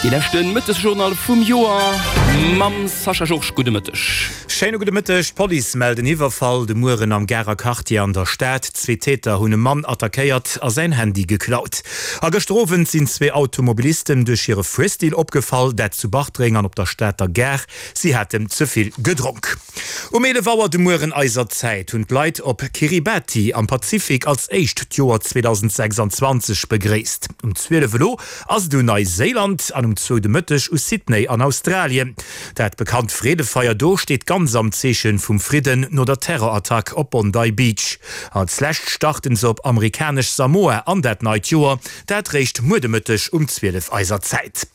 Dee leschte Mëttesjournal vum Joer mam Sascha Georges. Gudde Mëtteg. Schéine gudde Mëtteg. D'Police mellt en Iwwerfall de Mueren am Garer Quartier an der Stad. Zwee Täter hunn e Mann attackéiert a säin Handy geklaut. A gëschter Owend sinn zwee Automobilisten duerch hire Fuerstil opgefall, dat zu Bartreng an op der Stater Gare. Si haten ze vill gedronk. Um 11 Auer de Mueren eiser Zäit hunn d'Leit op Kiribati am Pazifik als éischt d'Joer 2026 begréisst. Um 12 elo ass et un Neiséiland an um zwou de Mëtteg u Sydney an Australien. Dat bekannt Freedefeier do steet ganz am Zeeche vum Fridden no der Terrorattack op Bondi Beach. Als lescht starten se op amerikanesch Samoa an dat neit Joer, dat réischt muer de Mëtteg um 12 eiser Zäit.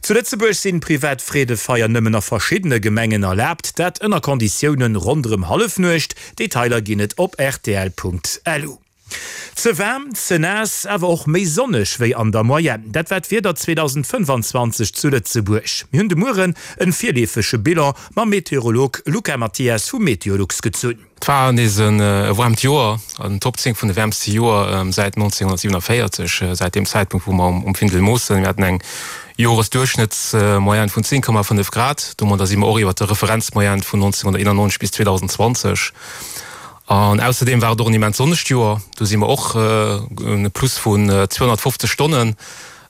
Zu Lëtzebuerg sinn privat Freedefeier nëmmen a verschiddene Gemengen erlaabt, dat ënner Konditiounen ronderëm Hallefnuecht. Detailer ginn et op rtl.lu. Ze waarm, ze naass, awer och méi sonneg wéi an der Moyenne, dat war d'Wieder 2025 zu Lëtzebuerg. Mir hunn de Mueren en virleefege Bilan mam Meteorolog Luca Mathias vu Meteolux gezunn. Et war nees e waarmt Joer, an den Top 10 vun de wäermste Joer säit 1947, säit deem Zäitpunkt wou mer um Findel moossen. Mir haten eng Joresduerchschnëttsmoyenne vun 10,5 Grad, domadder si mer och iwwer der Referenzmoyenne vun 1991 bis 2020. An ausserdeem war et och en immens sonnegt Joer, do si mer och e Plus vun 250 Stonnen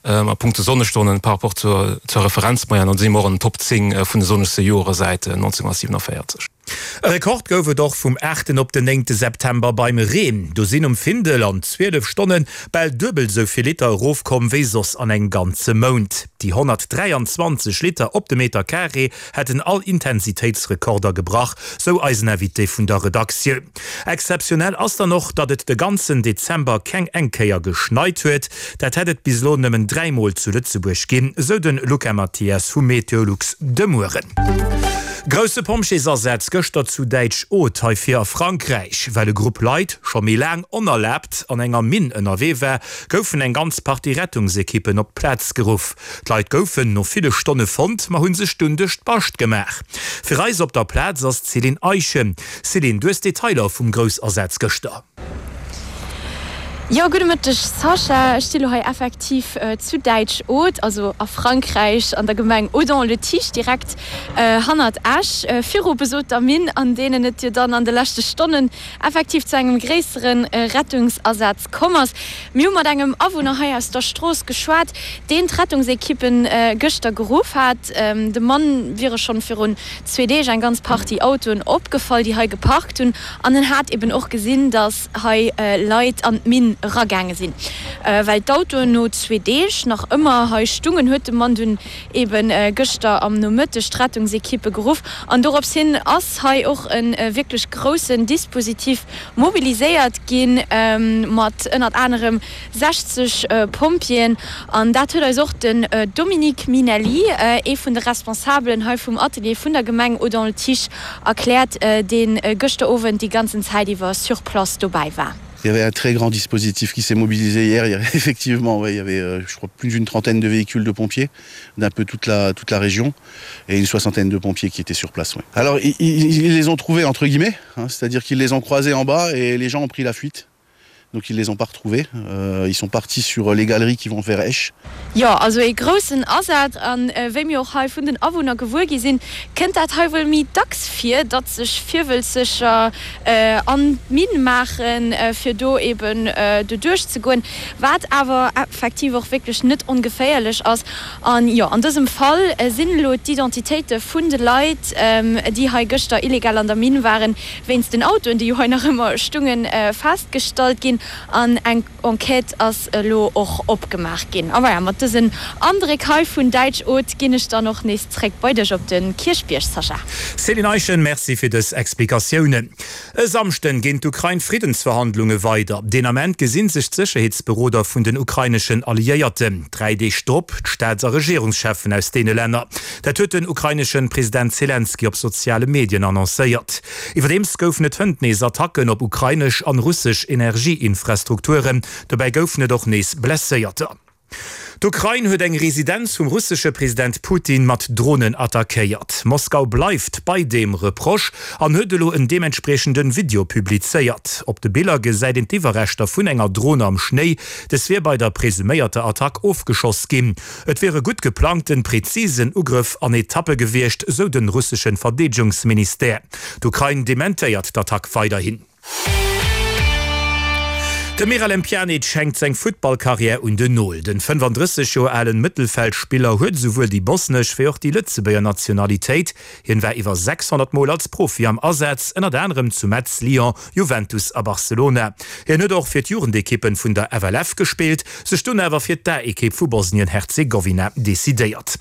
a punkto Sonnestonnen par rapport zur Referenzmoyenne, an do si mer och an den Top 10 vun de sonnegste Joere säit 1947. E Rekord gouf et och vum aachten op den néngte September beim Reen. Do sinn um Findel an 12 Stonne bal duebel esou vill Liter erofkomm wéi soss an engem ganze Mount. Déi 123 Liter op de Meter Carré hätten all Intensitéitsrekorder gebrach, sou eisen Invité vun der Redaktioun. Exzeptionell ass dann och, datt et de ganzen Dezember keng eng Kéier geschneit huet. Dat hätt et bis elo nëmmen 3 Mol zu Lëtzebuerg ginn, sou de Luca Mathias vu Meteolux de Mueren. Grousse Pompjeesasaz gëschter zu Däitsch-Aude, hei vir a Frankräich. Well e Grupp Leit scho méi laang onerlaabt an enger Minn ënnerwee war, goufen eng ganz Partie Rettungsekippen op d'Plaz geruff. D'Leit goufen no ville Stonne fonnt, ma hu sech dunn duerch d'Bascht gemaach. Fir eis op der Plaz ass d'Céline Eischen. Céline, du hues Detailer vum Groussasaz gëschter. Jo, gudde Mëtteg Sascha. Ech sti lo hei effektiv zu Däitsch-Aude, also a Frankräich, an der Gemeng Audun-le-Tiche, direkt hannert Esch, viru besoter Minn, an deenen et jo dann an de leschte Stonnen effektiv zu engem gréissere Rettungsasaz komm ass. Mir hu mat engem Awunner hei aus der Strooss geschwat, deen d'Rettungsekippen gëschter geruff hat. Dem Mann wiere schonn virun zwee Deeg eng ganz Partie Autoen opgefall, déi hei geparkt hunn. An en hat eben och gesinn, datt hei Leit an d'Minn eragaange sinn. Well d'Autoen no zwee Deeg nach ëmmer hei stungen, huet de Mann dunn eben gëschter am Nomëtteg d'Rettungsekippe geruff. An dorops hin ass hei och e wierklech groussen Dispositif mobiliséiert ginn, mat ënnert anerem 60 Pompjeeën. An dat huet eis och den Dominique Minelli, ee vun de Responsabelen hei vum Atelier vun der Gemeng Audun-le-Tiche, erkläert, dee gëschter Owend déi ganzen Zäit iwwer sur place dobäi war. Il y avait un très grand dispositif qui s'est mobilisé hier. Il y avait effectivement ouais, il y avait euh, je crois plus d'une trentaine de véhicules de pompiers d'un peu toute la, toute la région et une soixantaine de pompiers qui étaient sur place. Ouais. Alors ils, ils, ils les ont trouvés entre guillemets, c'est-à-dire qu'ils les ont croisés en bas et les gens ont pris la fuite. Donc ils les ont pas retrouvés. Euh, ils sont partis sur les galeries qui vont vers Esch. Jo, also ee groussen Asaz. An wéi mir och hei vun den Awunner gewuer gi sinn, kënnt dat hei wuel méi dacks vir, datt sech Virwëlzeger an d'Minn maachen, fir do eben doduerch ze goen, wat awer effektiv och wierklech net ongeféierlech ass. An jo, an dësem Fall sinn elo d'Identitéite vun de Leit, déi hei gëschter illegal an der Minn waren, wéinst den Autoen, déi jo hei nach ëmmer stungen, festgestallt ginn. An eng. Enquête ass elo och opgemaach ginn. A voilà, mat dësen Andréck hei vun Däitsch-Aude ginn ech dann och nees zréck bei dech op de Kierchbierg, Sascha. Céline Eischen, Merci fir dës Explikatiounen. E Samschden ginn d'Ukrain Friddensverhandlunge weider. Deen Ament gesinn sech d'Sécherheetsberoder vun den ukraineschen Alliéierten. 3 Deeg drop d'Staats a Regierungscheffen aus deene Länner. Dat huet den ukraineschen President Zelenskyj op soziale Medien annoncéiert. Iwwerdeems goufen et hënt nees Attacken op ukrainesch an russesch Energieinfrastrukturen. Dobäi goufen et och nees Blesséierter. D'Ukrain huet eng Residenz vum russesche President Putin mat Dronen attackéiert. Moskau bleift bei deem Reproche an huet elo en deementspriechende Video publizéiert. Op de Biller gesäit een d'Iwwerreschter vun enger Dron am Schnéi. Des wier bei der presuméierter Attack ofgeschoss ginn. Et wier e gutt geplangten, prezisen Ugrëff an Etappe gewiescht, sou de russeschen Verdeedegungsministère. D'Ukrain dementéiert d'Attack weiderhin. De Miralem Pjanic hänkt seng Futtballkarriär un den Nol. Den 35 Joer alen Mëttelfeldspiller huet esouwuel déi bosnesch wéi och déi Lëtzebuerger Nationalitéit. Hien war iwwer 600 Mol als Profi am Asaz, ënnert anerem zu Metz, Lyon, Juventus a Barcelona. Hien huet och fir d'Jugendekippen vun der FLF gespillt, sech dunn awer fir d'A-Ekipp vu Bosnien-Herzegowina decidéiert.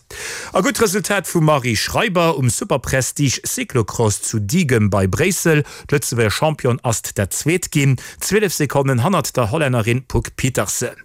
A gutt Resultat vum Marie Schreiber um Superprestige Cyclocross zu Diegem bei Bréissel. D'Lëtzebuerger Championne ass dat Zweet ginn, 12 Sekonnen hannert der Hollännerin Puck Pieterse.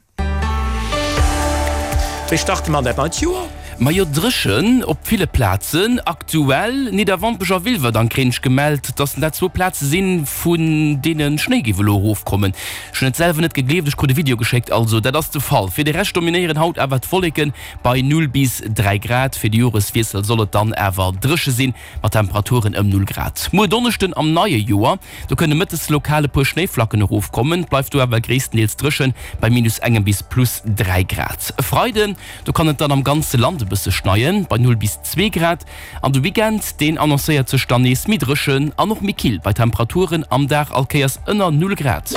Wéi starte mer an dat neit Joer? Majo dréchen op ville Plazen. Aktuell Nidderwampech a Wilwerdang kréien ech gemellt, dass dat zwou Plaze sinn, vun deene Schnéi géif elo erofkommen. Ech hunn et selwer net gegleeft, ech krut e Video geschéckt, also dat ass de Fall. Fir de Rescht dominéieren haut awer d'Wolleken bei 0 bis 3 Grad. Fir de Joreswiessel soll et dann awer dréche sinn, mat Temperaturen ëm 0 Grad. Muer Donneschden am neie Joer, do kënne mëttes lokal e puer Schnéiflacken erofkommen, et bleift do awer gréisstendeels dréchen bei minus engem bis plus 3 Grad. E Freiden, do kann et dann am ganze Land e bësse schneien, bei 0 bis 2 Grad. An de Weekend, deen annoncéiert sech dann nees méi dréchen an och méi kill, bei Temperaturen am Dag all Kéiers ënner 0 Grad.